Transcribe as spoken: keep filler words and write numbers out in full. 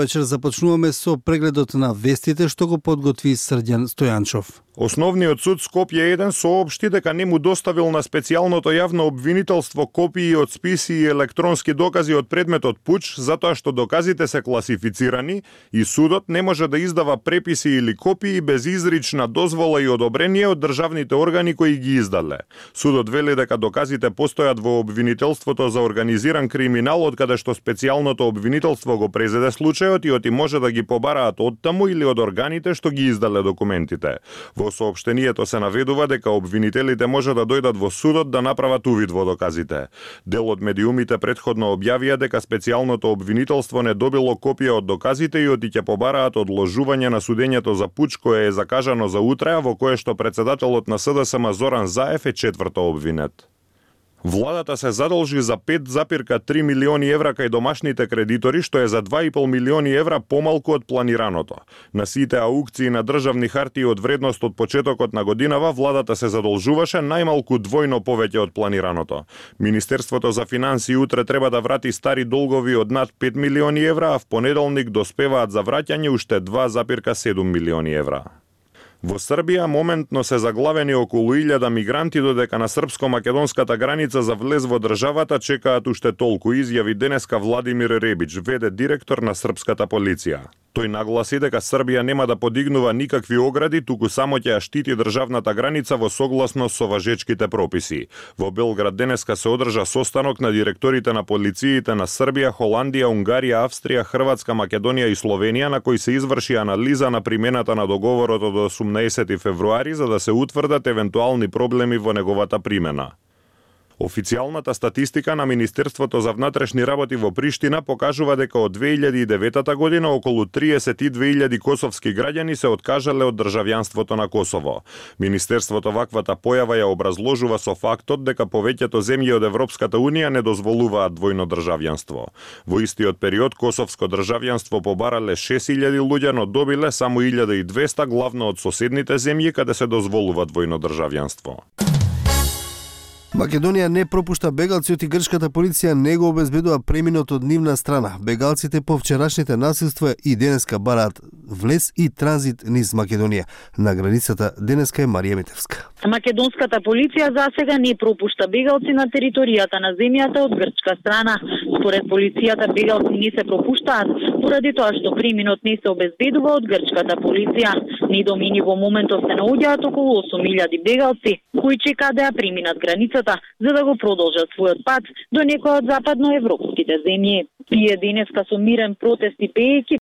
Вечер започнуваме со прегледот на вестите што го подготви Срđan Стојанчов. Основниот суд Скопје еден соопшти дека не му доставил на специјалното јавно обвинителство копии од списи и електронски докази од предметот пуч, затоа што доказите се класифицирани и судот не може да издава преписи или копии без изрична дозвола и одобрение од државните органи кои ги издале. Судот вели дека доказите постојат во обвинителството за организиран криминал, од каде што специјалното обвинителство го презеде случајот и оти може да ги побараат оттаму или од органите што ги издале документите. Во соопштението се наведува дека обвинителите може да дојдат во судот да направат увид во доказите. Дел од медиумите претходно објавија дека специјалното обвинителство не добило копија од доказите и оти ќе побараат одложување на судењето за пуч кое е закажано за утре, во кое што председателот на СДСМ Зоран Заев е четврто обвинет. Владата се задолжи за пет запирка три милиони евра кај домашните кредитори, што е за два и пол милиони евра помалку од планираното. На сите аукции на државни хартии од вредност од почетокот на годинава, владата се задолжуваше најмалку двојно повеќе од планираното. Министерството за финансии утре треба да врати стари долгови од над пет милиони евра, а в понеделник доспеваат за враќање уште два запирка седум милиони евра. Во Србија моментно се заглавени околу илјада мигранти, додека на српско-македонската граница за влез во државата чекаат уште толку, изјави денеска Владимир Ребич, веде директор на српската полиција. Тој нагласи дека Србија нема да подигнува никакви огради, туку само ќе ја штити државната граница во согласност со важечките прописи. Во Белград денеска се одржа состанок на директорите на полициите на Србија, Холандија, Унгарија, Австрија, Хрватска, Македонија и Словенија, на кој се изврши анализа на примената на договорот од осумнаесети февруари за да се утврдат евентуални проблеми во неговата примена. Официјалната статистика на Министерството за внатрешни работи во Приштина покажува дека од две илјади и девета година околу триесет и две илјади косовски граѓани се откажале од државјанството на Косово. Министерството ваквата појава ја образложува со фактот дека повеќето земји од Европската унија не дозволуваат двојно државјанство. Во истиот период косовско државјанство побарале шест илјади луѓе, но добиле само илјада и двесте, главно од соседните земји каде се дозволува двојно државјанство. Македонија не пропушта бегалци, и грчката полиција не го обезбедува преминот од нивна страна. Бегалците по вчерашните насилства и денеска бараат влез и транзит низ Македонија. На границата денеска е Марија Митевска. Македонската полиција засега не пропушта бегалци на територијата на земјата од грчка страна. Според полицијата бегалци не се пропуштаат поради тоа што преминот не се обезбедува од грчката полиција. Недомини во моментов се наоѓаат околу осум илјади бегалци кои чекаат да ја преминат границата за да го продолжат својот пат до некоја од западноевропските земји. Тие денеска со мирен протест и пеејќи